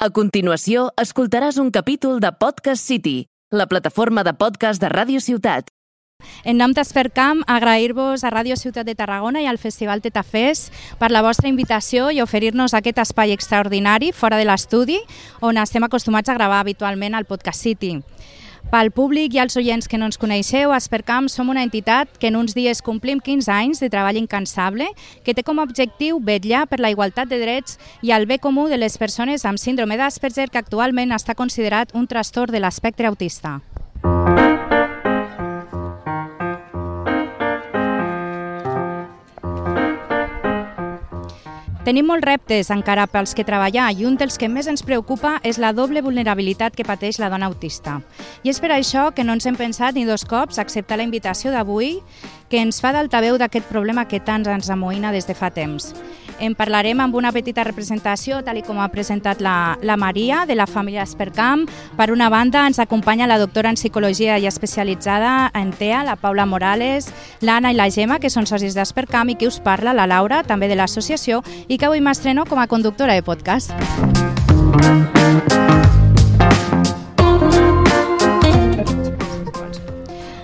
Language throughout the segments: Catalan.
A continuació, escoltaràs un capítol de Podcast City, la plataforma de podcast de Ràdio Ciutat. En nom d'Espercam, agrair-vos a Ràdio Ciutat de Tarragona i al Festival Tetafés per la vostra invitació i oferir-nos aquest espai extraordinari fora de l'estudi on estem acostumats a gravar habitualment al Podcast City. Pel públic i als oients que no ens coneixeu, a Espercam som una entitat que en uns dies complim 15 anys de treball incansable que té com a objectiu vetllar per la igualtat de drets i el bé comú de les persones amb síndrome d'Asperger, que actualment està considerat un trastorn de l'espectre autista. Tenim molts reptes encara pels que treballar i un dels que més ens preocupa és la doble vulnerabilitat que pateix la dona autista. I és per això que no ens hem pensat ni dos cops acceptar la invitació d'avui que ens fa d'altaveu d'aquest problema que tant ens amoïna des de fa temps. En parlarem amb una petita representació, tal com ha presentat la Maria, de la família Espercam. Per una banda, ens acompanya la doctora en psicologia i especialitzada en TEA, la Paula Morales, l'Anna i la Gemma, que són socis d'Espercam, i qui us parla, la Laura, també de l'associació, i que avui m'estreno com a conductora de podcast.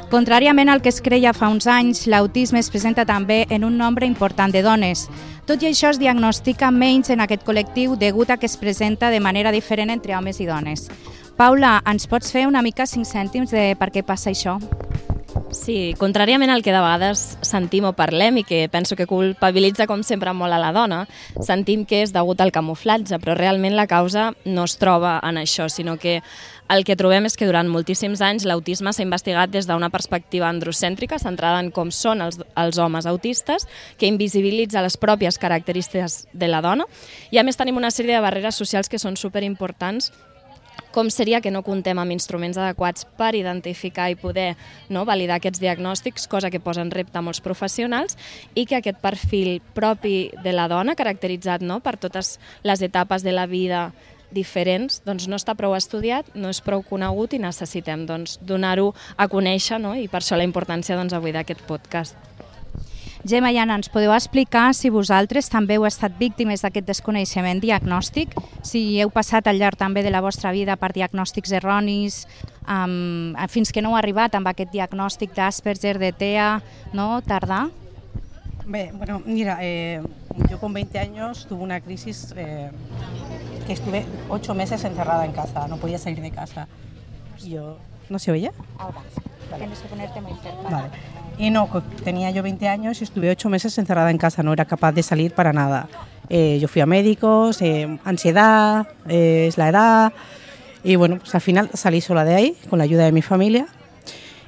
Contràriament al que es creia fa uns anys, l'autisme es presenta també en un nombre important de dones. Tot i això, es diagnostica menys en aquest col·lectiu degut a que es presenta de manera diferent entre homes i dones. Paula, ens pots fer una mica 5 cèntims de per què passa això? Sí, contràriament al que de vegades sentim o parlem i que penso que culpabilitza com sempre molt a la dona, sentim que és degut al camuflatge, però realment la causa no es troba en això, sinó que el que trobem és que durant moltíssims anys l'autisme s'ha investigat des d'una perspectiva androcèntrica, centrada en com són els homes autistes, que invisibilitza les pròpies característiques de la dona, i a més tenim una sèrie de barreres socials que són superimportants, com seria que no comptem amb instruments adequats per identificar i poder validar aquests diagnòstics, cosa que posa en repte a molts professionals, i que aquest perfil propi de la dona, caracteritzat per totes les etapes de la vida diferents, no està prou estudiat, no és prou conegut i necessitem donar-ho a conèixer, i per això la importància avui d'aquest podcast. Gemma i Anna, ens podeu explicar si vosaltres també heu estat víctimes d'aquest desconeixement diagnòstic, si heu passat al llarg també de la vostra vida per diagnòstics erronis, fins que no heu arribat amb aquest diagnòstic d'Asperger, de TEA, tardar? Bueno, mira, yo con 20 años tuve una crisis que estuve 8 meses encerrada en casa, no podía salir de casa. ¿No se oye? Ahora, tienes que ponerte muy cerca. Vale. Y no, tenía yo 20 años y estuve 8 meses encerrada en casa, no era capaz de salir para nada. Yo fui a médicos, ansiedad, es la edad, y bueno, pues al final salí sola de ahí, con la ayuda de mi familia.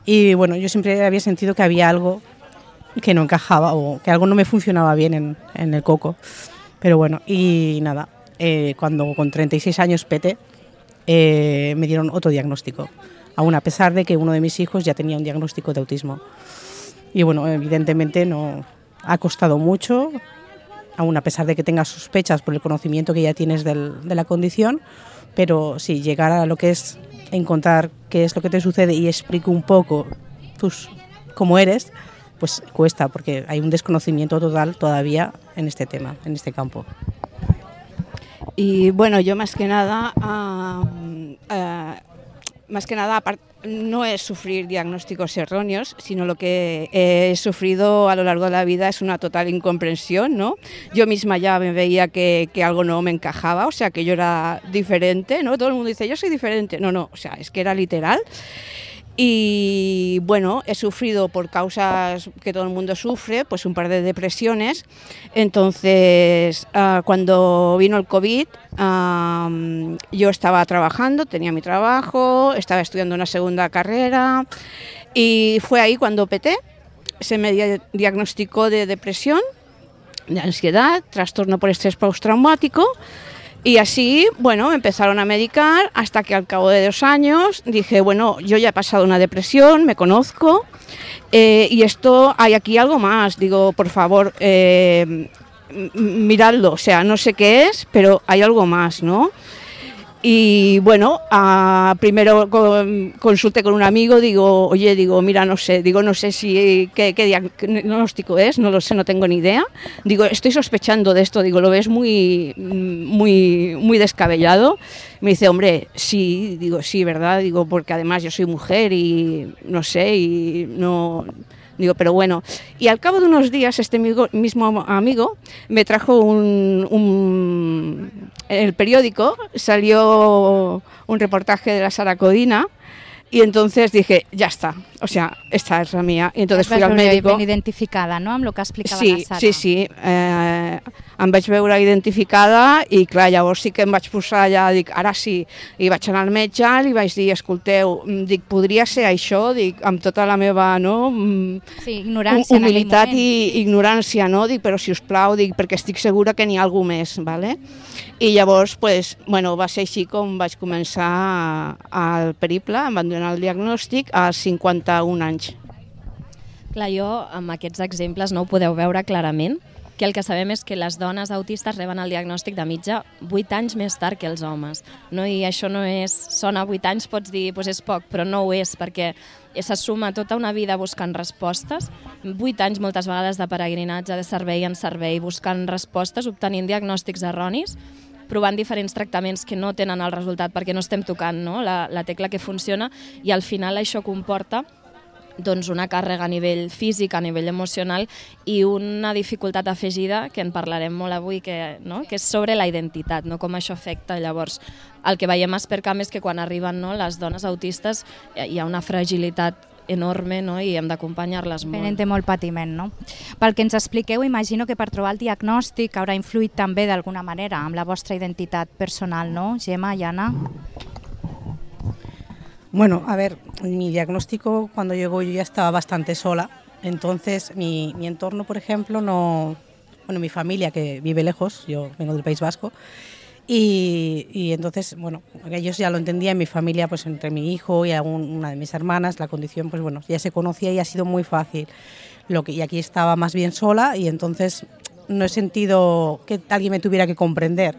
Y bueno, yo siempre había sentido que había algo que no encajaba o que algo no me funcionaba bien en el coco. Pero bueno, y nada, cuando con 36 años peté, me dieron otro diagnóstico, aún a pesar de que uno de mis hijos ya tenía un diagnóstico de autismo. Y bueno, evidentemente no ha costado mucho, aún a pesar de que tengas sospechas por el conocimiento que ya tienes de la condición, pero sí, llegar a lo que es encontrar qué es lo que te sucede y explico un poco cómo eres, pues cuesta, porque hay un desconocimiento total todavía en este tema, en este campo. Y bueno, yo más que nada, no es sufrir diagnósticos erróneos, sino lo que he sufrido a lo largo de la vida es una total incomprensión, ¿no? Yo misma ya me veía que algo no me encajaba, o sea, que yo era diferente, ¿no? Todo el mundo dice, yo soy diferente. No, o sea, es que era literal. Y bueno, he sufrido por causas que todo el mundo sufre, pues un par de depresiones. Entonces, cuando vino el COVID, yo estaba trabajando, tenía mi trabajo, estaba estudiando una segunda carrera y fue ahí cuando peté. Se me diagnosticó de depresión, de ansiedad, trastorno por estrés postraumático. Y así, bueno, me empezaron a medicar hasta que al cabo de 2 años dije, bueno, yo ya he pasado una depresión, me conozco y esto, hay aquí algo más. Digo, por favor, miradlo, o sea, no sé qué es, pero hay algo más, ¿no? Y bueno, primero consulté con un amigo, digo, oye, mira, no sé si qué diagnóstico es, no lo sé, no tengo ni idea. Digo, estoy sospechando de esto, digo, lo ves muy descabellado. Me dice, hombre, sí, digo, sí, ¿verdad? Digo, porque además yo soy mujer y no sé, y no... Digo, pero bueno, y al cabo de unos días este mismo amigo me trajo en el periódico salió un reportaje de la Sara Codina y entonces dije, ya está, o sea, esta és la mía. I entonces fui al médico. Ben identificada, no?, amb el que explicava la Sara. Sí, em vaig veure identificada i clar, llavors sí que em vaig posar allà, dic, ara sí, i vaig anar al metge, li vaig dir, escolteu, dic, podria ser això, dic, amb tota la meva, no, ignorància, humilitat i ignorància, no, dic, però si us plau, dic, perquè estic segura que n'hi ha algú més, vale? I llavors, pues, bueno, va ser així com vaig començar el periple, em van donar el diagnòstic als 51 anys. Clar, jo amb aquests exemples no ho podeu veure clarament, que el que sabem és que les dones autistes reben el diagnòstic de mitja 8 anys més tard que els homes. No? I això no és... Sona 8 anys, pots dir, doncs és poc, però no ho és, perquè se suma tota una vida buscant respostes, 8 anys moltes vegades de peregrinatge, de servei en servei, buscant respostes, obtenint diagnòstics erronis, provant diferents tractaments que no tenen el resultat perquè no estem tocant, no? la tecla que funciona, i al final això comporta doncs, una càrrega a nivell físic, a nivell emocional i una dificultat afegida, que en parlarem molt avui, que és sobre la identitat, no? Com això afecta. Llavors, el que veiem a Espercamp és que quan arriben les dones autistes hi ha una fragilitat enorme, no? I hem d'acompanyar-les molt. Venen de molt patiment, no? Pel que ens expliqueu, imagino que per trobar el diagnòstic haurà influït també d'alguna manera amb la vostra identitat personal, ¿no? Gemma y Ana. Bueno, a ver, mi diagnóstico cuando llegó yo ya estaba bastante sola, entonces mi entorno, por ejemplo, mi familia que vive lejos, yo vengo del País Vasco, y entonces, bueno, ellos ya lo entendían, mi familia, pues entre mi hijo y una de mis hermanas, la condición, pues bueno, ya se conocía y ha sido muy fácil. Y aquí estaba más bien sola y entonces no he sentido que alguien me tuviera que comprender.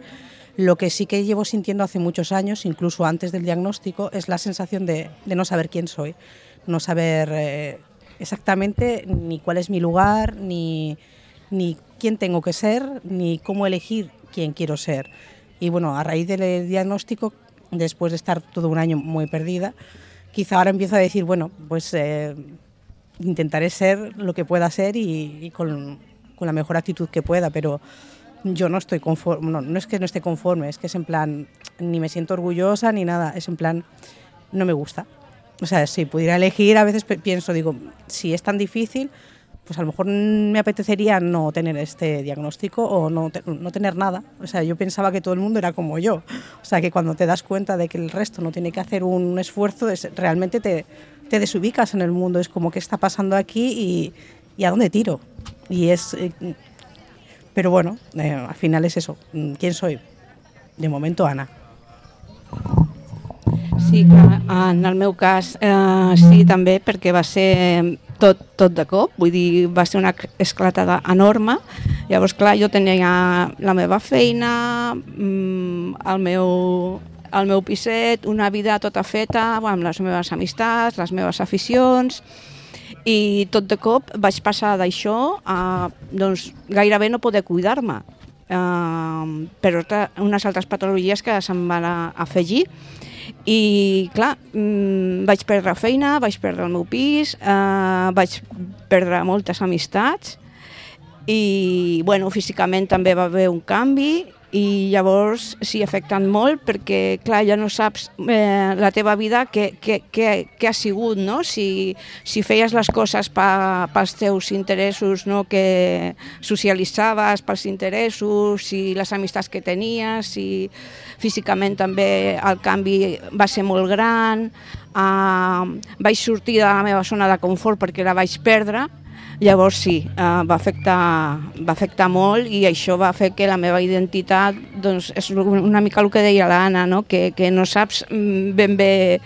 Lo que sí que llevo sintiendo hace muchos años, incluso antes del diagnóstico, es la sensación de no saber quién soy, no saber exactamente ni cuál es mi lugar, ni quién tengo que ser, ni cómo elegir quién quiero ser. Y bueno, a raíz del diagnóstico, después de estar todo un año muy perdida, quizá ahora empiezo a decir, bueno, pues intentaré ser lo que pueda ser y con la mejor actitud que pueda, pero yo no estoy conforme, no es que no esté conforme, es que es en plan, ni me siento orgullosa ni nada, es en plan, no me gusta. O sea, si pudiera elegir, a veces pienso, digo, si es tan difícil, pues a lo mejor me apetecería no tener este diagnóstico o no tener nada. O sea, yo pensaba que todo el mundo era como yo. O sea, que cuando te das cuenta de que el resto no tiene que hacer un esfuerzo, realmente te desubicas en el mundo. Es como, ¿qué está pasando aquí y a dónde tiro? Y es... Pero bueno, al final es eso. ¿Quién soy? De momento, Ana. Sí, clar, en el meu cas sí, també, perquè va ser tot de cop, vull dir, va ser una esclatada enorme. Llavors, clar, jo tenia la meva feina, el meu piset, una vida tota feta, amb les meves amistats, les meves aficions, i tot de cop vaig passar d'això a doncs, gairebé no poder cuidar-me, per unes altres patologies que se'm van afegir. I clar, vaig perdre feina, vaig perdre el meu pis, vaig perdre moltes amistats i bueno, físicament també va haver un canvi i llavors sí, afecten molt perquè clar, ja no saps la teva vida què ha sigut, no? Si feies les coses pels teus interessos, no? Que socialitzaves pels interessos, si les amistats que tenies, si físicament també el canvi va ser molt gran, vaig sortir de la meva zona de confort perquè la vaig perdre. Llavors sí, va afectar molt i això va fer que la meva identitat, doncs, és una mica el que deia l'Anna, no? Que no saps ben bé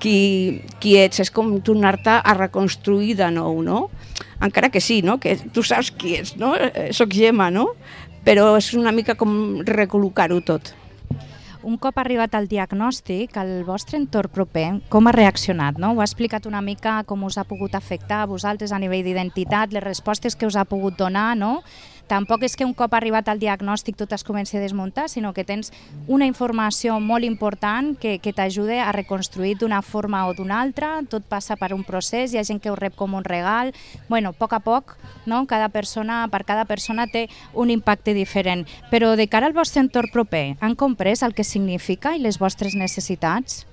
qui ets, és com tornar-te a reconstruir de nou, no? Encara que sí, no? Que tu saps qui ets, no? Soc Gemma, no? Però és una mica com recol·locar-ho tot. un cop arribat al diagnòstic, el vostre entorn proper, com ha reaccionat? No? Ho ha explicat una mica com us ha pogut afectar a vosaltres a nivell d'identitat, les respostes que us ha pogut donar, no? Tampoc és que un cop arribat al diagnòstic tot es comenci a desmuntar, sinó que tens una informació molt important que t'ajuda a reconstruir d'una forma o d'una altra, tot passa per un procés, hi ha gent que ho rep com un regal, bueno, a poc, no? Per cada persona té un impacte diferent, però de cara al vostre entorn proper, han comprès el que significa i les vostres necessitats?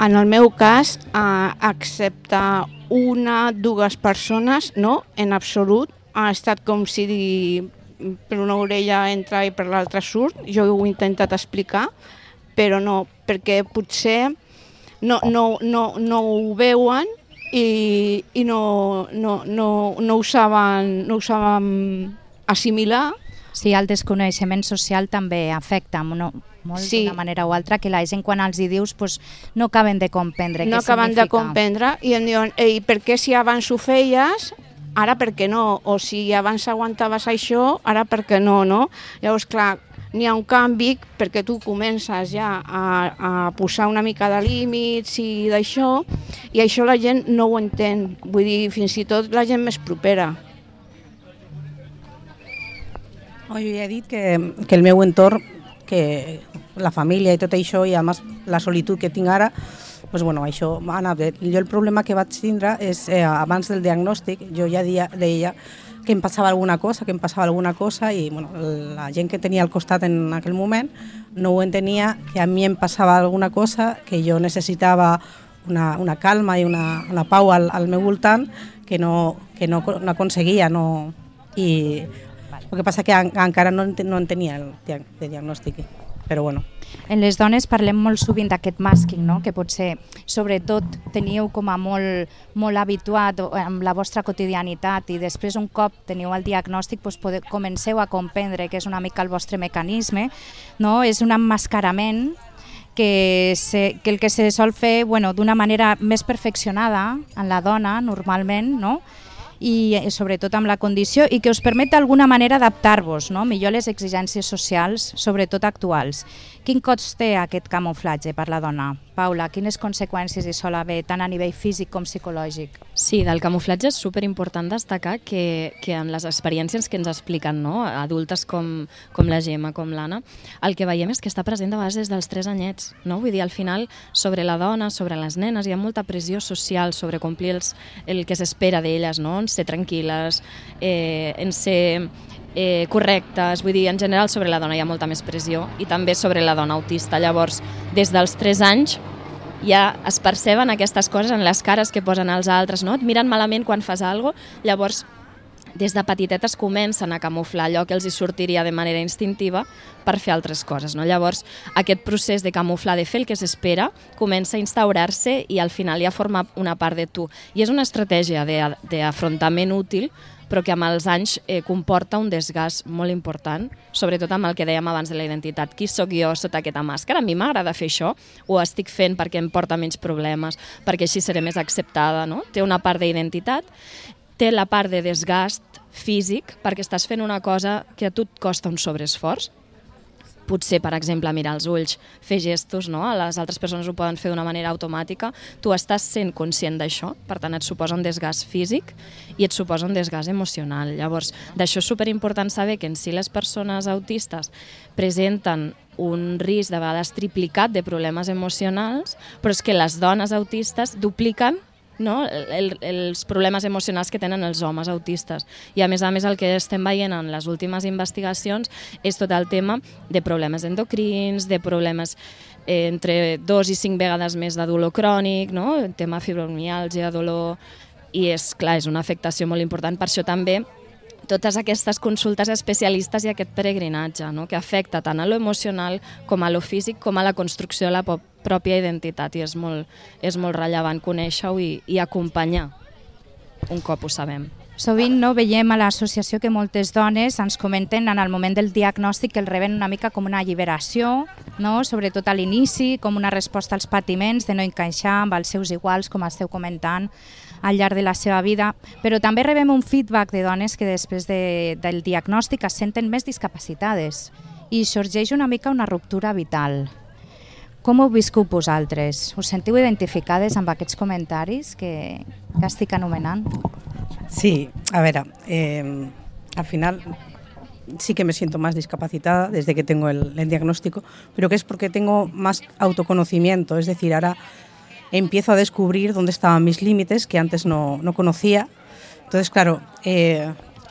En el meu cas, excepte dues persones, no, en absolut, ha estat com si per una orella entra i per l'altra surt. Jo ho he intentat explicar, però no, perquè potser no ho veuen i no ho saben assimilar. Sí, el desconeixement social també afecta molt Sí. d'una manera o altra, que la gent quan els hi dius no acaben de comprendre què significa. No acaben de comprendre i em diuen, ei, per què si abans ho feies, ara per què no? O si abans aguantaves això, ara per què no, no? Llavors, clar, n'hi ha un canvi perquè tu comences ja a posar una mica de límits i d'això, i això la gent no ho entén, vull dir, fins i tot la gent més propera. Jo ja he dit que el meu entorn, que la família i tot això, i a més la solitud que tinc ara, doncs bueno, això ha anat bé. Jo el problema que vaig tindre és, abans del diagnòstic, jo ja deia que em passava alguna cosa i bueno, la gent que tenia al costat en aquell moment no ho entenia, que a mi em passava alguna cosa, que jo necessitava una calma i una pau al meu voltant que no aconseguia. I el que passa que encara no en tenia el diagnòstic, però bueno. En les dones parlem molt sovint d'aquest màsking, no? Que potser, sobretot, teníeu com a molt habituat amb la vostra quotidianitat i després un cop teniu el diagnòstic comenceu a comprendre que és una mica el vostre mecanisme, no? És un emmascarament que el que se sol fer d'una manera més perfeccionada en la dona, normalment, no? I sobretot amb la condició, i que us permet d'alguna manera adaptar-vos, no? Millor les exigències socials, sobretot actuals. Quin cost té aquest camuflatge per la dona? Paula, quines conseqüències hi sol haver, tant a nivell físic com psicològic? Sí, del camuflatge és superimportant destacar que en les experiències que ens expliquen, no? Adultes com la Gemma, com l'Anna, el que veiem és que està present de vegades des dels 3 anyets, no? Vull dir, al final, sobre la dona, sobre les nenes, hi ha molta pressió social sobre complir el que s'espera d'elles, no? En ser tranquil·les, en ser correctes, vull dir, en general sobre la dona hi ha molta més pressió i també sobre la dona autista. Llavors, des dels 3 anys ja es perceben aquestes coses en les cares que posen els altres, no? Et miren malament quan fas alguna cosa, llavors des de petitetes comencen a camuflar allò que els hi sortiria de manera instintiva per fer altres coses, no? Llavors, aquest procés de camuflar, de fer el que s'espera, comença a instaurar-se i al final ja forma una part de tu. I és una estratègia d'afrontament útil, però que amb els anys comporta un desgast molt important, sobretot amb el que dèiem abans de la identitat. Qui sóc jo sota aquesta màscara? A mi m'agrada fer això, ho estic fent perquè em porta menys problemes, perquè així seré més acceptada, no? Té una part d'identitat, té la part de desgast físic, perquè estàs fent una cosa que a tu et costa un sobreesforç. Potser, per exemple, mirar els ulls, fer gestos, no? Les altres persones ho poden fer d'una manera automàtica. Tu estàs sent conscient d'això, per tant et suposa un desgast físic i et suposa un desgast emocional. Llavors, d'això és superimportant saber que en si les persones autistes presenten un risc de vegades triplicat de problemes emocionals, però és que les dones autistes dupliquen, no? Els problemes emocionals que tenen els homes autistes. I a més el que estem veient en les últimes investigacions és tot el tema de problemes endocrins, de problemes entre 2 i 5 vegades més de dolor crònic, no? El tema fibromiàlgia, dolor, i és clar, és una afectació molt important. Per això també totes aquestes consultes especialistes i aquest peregrinatge, no? Que afecta tant a lo emocional com a lo físic com a la construcció de la pròpia identitat, i és molt rellevant conèixer-ho i acompanyar un cop ho sabem. Sovint veiem a l'associació que moltes dones ens comenten en el moment del diagnòstic que el reben una mica com una alliberació, no? Sobretot a l'inici, com una resposta als patiments de no encaixar amb els seus iguals, com esteu comentant, al llarg de la seva vida, però també rebem un feedback de dones que després del diagnòstic es senten més discapacitades i sorgeix una mica una ruptura vital. Com ho viscut vosaltres? Us sentiu identificades amb aquests comentaris que estic anomenant? Sí, a ver, al final sí que me siento más discapacitada desde que tengo el diagnóstico, pero que es porque tengo más autoconocimiento, es decir, ahora empiezo a descubrir dónde estaban mis límites que antes no conocía. Entonces, claro,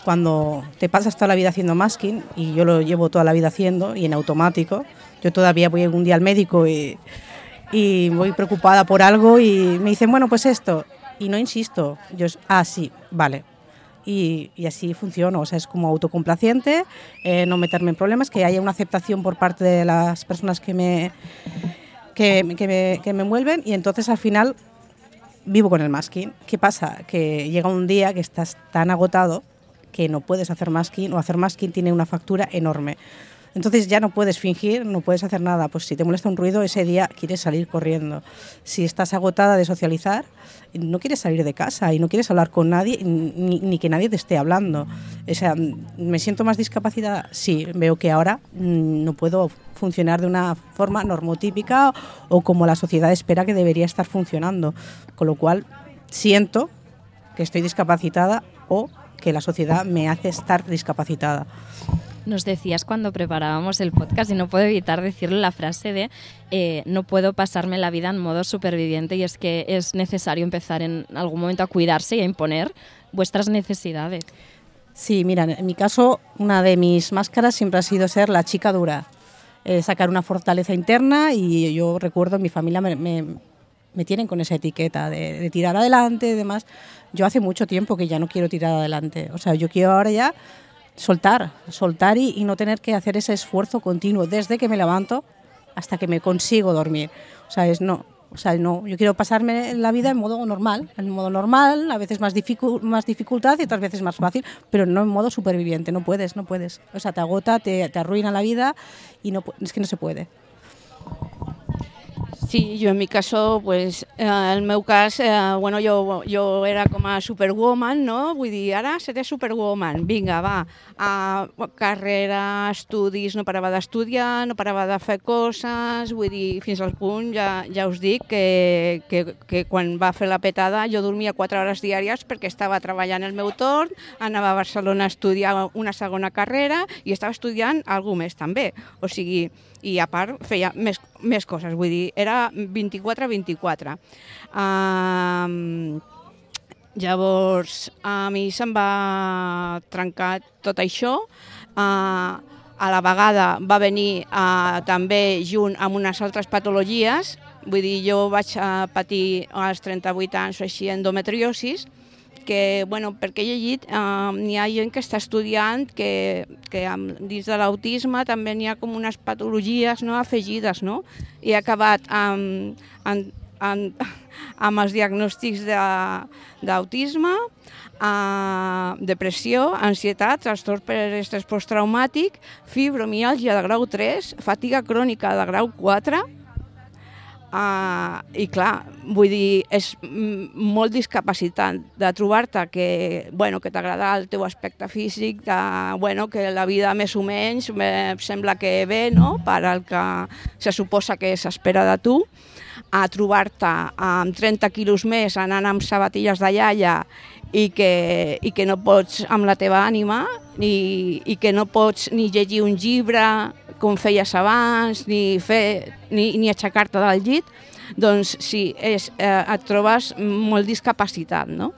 cuando te pasas toda la vida haciendo masking, y yo lo llevo toda la vida haciendo y en automático, yo todavía voy un día al médico y voy preocupada por algo y me dicen, bueno, pues esto, y no insisto, yo, sí, vale. Y así funciona, o sea, es como autocomplaciente, no meterme en problemas, que haya una aceptación por parte de las personas que me envuelven, y entonces al final vivo con el masking. ¿Qué pasa? Que llega un día que estás tan agotado que no puedes hacer masking, o hacer masking tiene una factura enorme. Entonces ya no puedes fingir, no puedes hacer nada. Pues si te molesta un ruido, ese día quieres salir corriendo. Si estás agotada de socializar, no quieres salir de casa y no quieres hablar con nadie, ni que nadie te esté hablando. O sea, ¿me siento más discapacitada? Sí, veo que ahora no puedo funcionar de una forma normotípica o como la sociedad espera que debería estar funcionando. Con lo cual siento que estoy discapacitada o que la sociedad me hace estar discapacitada. Nos decías cuando preparábamos el podcast, y no puedo evitar decirle la frase de no puedo pasarme la vida en modo superviviente, y es que es necesario empezar en algún momento a cuidarse y a imponer vuestras necesidades. Sí, mira, en mi caso una de mis máscaras siempre ha sido ser la chica dura, sacar una fortaleza interna, y yo recuerdo en mi familia me tienen con esa etiqueta de tirar adelante y demás. Yo hace mucho tiempo que ya no quiero tirar adelante, o sea, yo quiero ahora ya soltar y no tener que hacer ese esfuerzo continuo desde que me levanto hasta que me consigo dormir. O sea, no, yo quiero pasarme la vida en modo normal, a veces más dificultad y otras veces más fácil, pero no en modo superviviente, no puedes. O sea, te agota, te arruina la vida y es que no se puede. Sí, jo en mi caso, pues, el meu cas, bueno, jo era com a superwoman, no? Vull dir, ara seré superwoman, vinga, va, carrera, estudis, no parava d'estudiar, no parava de fer coses, vull dir, fins al punt, ja us dic, que quan va fer la petada jo dormia 4 hores diàries perquè estava treballant el meu torn, anava a Barcelona a estudiar una segona carrera i estava estudiant alguna més també, o sigui, i a part feia més coses, vull dir, era 24-24. Llavors, a mi se'm va trencar tot això. A la vegada va venir també junt amb unes altres patologies, vull dir, jo vaig patir als 38 anys o així endometriosis, que, bueno, perquè he llegit, n'hi ha gent que està estudiant que dins de l'autisme també n'hi ha com unes patologies, no, afegides, no? I he acabat amb els diagnòstics d'autisme, depressió, ansietat, trastorn per estrès posttraumàtic, fibromiàlgia de grau 3, fatiga crònica de grau 4, i clar, vull dir, és molt discapacitant de trobar-te que t'agrada el teu aspecte físic, que la vida més o menys sembla que ve, no?, per al que se suposa que s'espera de tu, a trobar-te amb 30 quilos més anant amb sabatilles de iaia i que no pots amb la teva ànima i que no pots ni llegir un llibre com feies abans, ni aixecar-te del llit, doncs sí, et trobes molt discapacitat, no?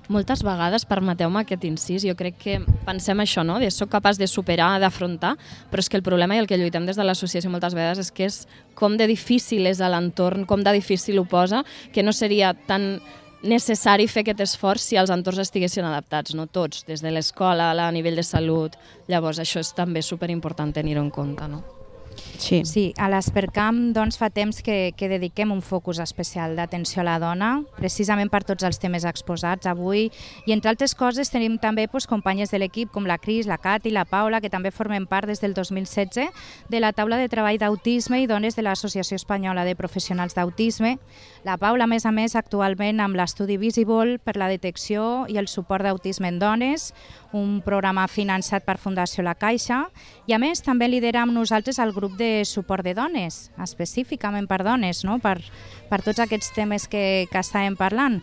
Moltes vegades, permeteu-me aquest incís, jo crec que pensem això, no?, de soc capaç de superar, d'afrontar, però és que el problema i el que lluitem des de l'associació moltes vegades és que és com de difícil és a l'entorn, com de difícil ho posa, que no seria tan necessari fer aquest esforç si els entorns estiguessin adaptats, no tots, des de l'escola, a nivell de salut. Llavors, això és també superimportant tenir-ho en compte, no? Sí, a l'Espercamp doncs, fa temps que dediquem un focus especial d'atenció a la dona, precisament per tots els temes exposats avui, i entre altres coses tenim també companyes de l'equip com la Cris, la Cati, la Paula, que també formen part des del 2016 de la taula de treball d'autisme i dones de l'Associació Espanyola de Professionals d'Autisme. La Paula, a més, actualment amb l'estudi Visible per la detecció i el suport d'autisme en dones, un programa finançat per Fundació La Caixa, i a més també lidera amb nosaltres el grup de suport de dones, específicament per dones, no? per tots aquests temes que estàvem parlant.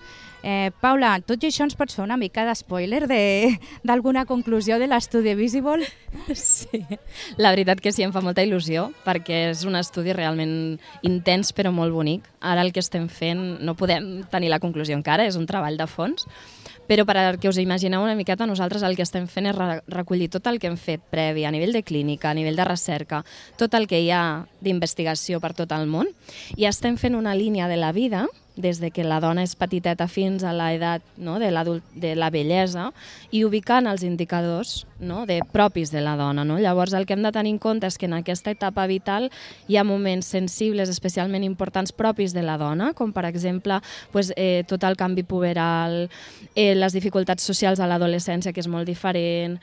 Paula, tot i això ens pots fer una mica d'espoiler d'alguna conclusió de l'estudi Visible? Sí, la veritat que sí, em fa molta il·lusió, perquè és un estudi realment intens però molt bonic. Ara el que estem fent no podem tenir la conclusió encara, és un treball de fons, però perquè us imagineu una miqueta, nosaltres el que estem fent és recollir tot el que hem fet previ a nivell de clínica, a nivell de recerca, tot el que hi ha d'investigació per tot el món, i estem fent una línia de la vida des de que la dona és petiteta fins a l'edat, no, de la vellesa, i ubicant els indicadors, no, propis de la dona. No? Llavors el que hem de tenir en compte és que en aquesta etapa vital hi ha moments sensibles especialment importants propis de la dona, com per exemple tot el canvi puberal, les dificultats socials a l'adolescència, que és molt diferent,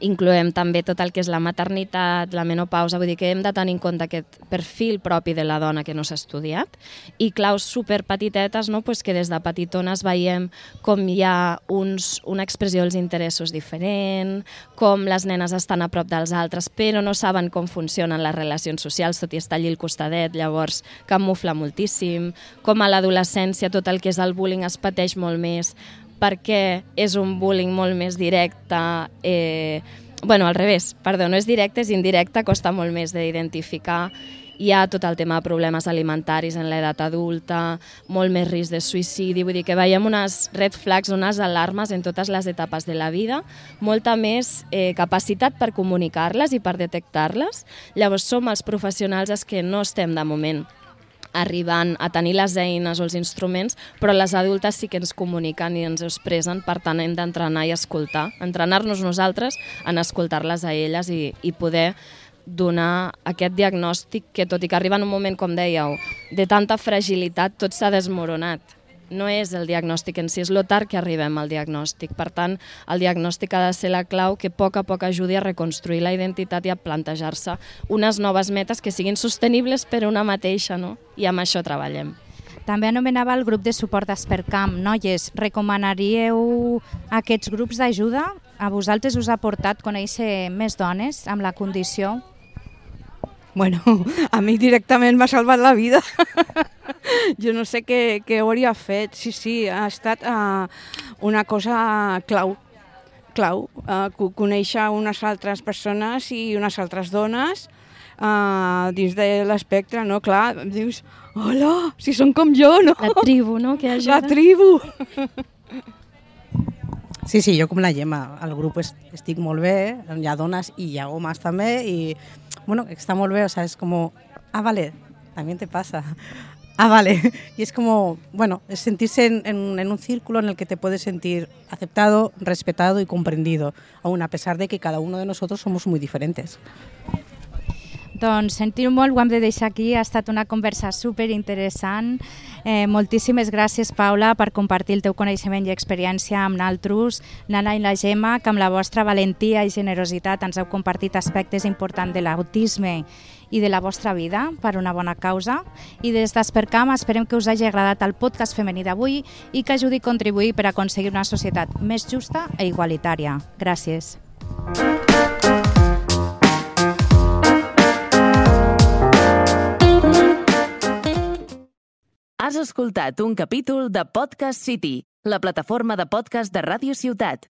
incloem també tot el que és la maternitat, la menopausa, vull dir que hem de tenir en compte aquest perfil propi de la dona que no s'ha estudiat, i claus superpetitetes, no? Pues que des de petitones veiem com hi ha una expressió dels interessos diferent, com les nenes estan a prop dels altres però no saben com funcionen les relacions socials, tot i estar allí al costadet, llavors camufla moltíssim, com a l'adolescència tot el que és el bullying es pateix molt més, perquè és un bullying molt més directe, al revés, perdó, no és directe, és indirecte, costa molt més d'identificar. Hi ha tot el tema de problemes alimentaris en l'edat adulta, molt més risc de suïcidi, vull dir que veiem unes red flags, unes alarmes en totes les etapes de la vida, molta més capacitat per comunicar-les i per detectar-les. Llavors som els professionals els que no estem de moment arribant a tenir les eines o els instruments, però les adultes sí que ens comuniquen i ens expressen, per tant hem d'entrenar i escoltar, entrenar-nos nosaltres en escoltar-les a elles i poder donar aquest diagnòstic que, tot i que arriba en un moment, com dèieu, de tanta fragilitat, tot s'ha desmoronat. No és el diagnòstic en si, és lo tard que arribem al diagnòstic. Per tant, el diagnòstic ha de ser la clau que a poc ajudi a reconstruir la identitat i a plantejar-se unes noves metes que siguin sostenibles per una mateixa, no? I amb això treballem. També anomenava el grup de suport d'Espercamp. Noies, recomanaríeu aquests grups d'ajuda? A vosaltres us ha portat conèixer més dones amb la condició? Bueno, a mi directament m'ha salvat la vida. Jo no sé què hauria fet. Sí, ha estat una cosa clau, conèixer unes altres persones i unes altres dones dins de l'espectre, no? Clar, dius, hola, si són com jo, no? La tribu, no? Que ajuda. La tribu! Sí, jo com la Gemma, al grup estic molt bé, hi ha dones i hi ha homes també, i bueno, està molt bé, o sea, es como, vale, también te pasa, vale, y es como, bueno, es sentirse en un círculo en el que te puedes sentir aceptado, respetado y comprendido, aún a pesar de que cada uno de nosotros somos muy diferentes. Doncs sentir-ho molt, ho hem de deixar aquí, ha estat una conversa superinteressant. Moltíssimes gràcies, Paula, per compartir el teu coneixement i experiència amb naltros, Nana i la Gemma, que amb la vostra valentia i generositat ens heu compartit aspectes importants de l'autisme i de la vostra vida per una bona causa. I des d'Espercamp esperem que us hagi agradat el podcast femení d'avui i que ajudi a contribuir per aconseguir una societat més justa i igualitària. Gràcies. Has escoltat un capítol de Podcast City, la plataforma de podcast de Ràdio Ciutat.